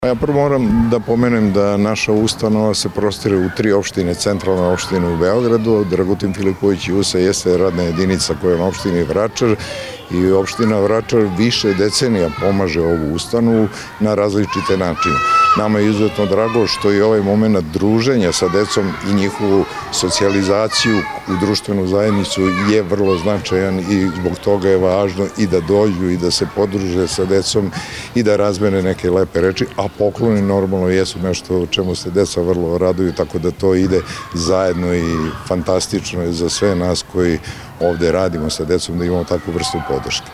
Ja prvo moram da pomenem da naša ustanova se prostire u 3 opštine, centralne opštine u Beogradu. Dragutin Filipović Jusa jeste radna jedinica koja je na opštini Vračar i opština Vračar više decenija pomaže ovu ustanovu na različite načine. Nama je izuzetno drago što i ovaj moment druženja sa decom i njihovu socijalizaciju u društvenu zajednicu je vrlo značajan i zbog toga je važno i da dođu i da se podruže sa decom i da razmene neke lepe reči, a pokloni normalno jesu nešto o čemu se deca vrlo raduju, tako da to ide zajedno i fantastično je za sve nas koji ovde radimo sa decom da imamo takvu vrstu podrške.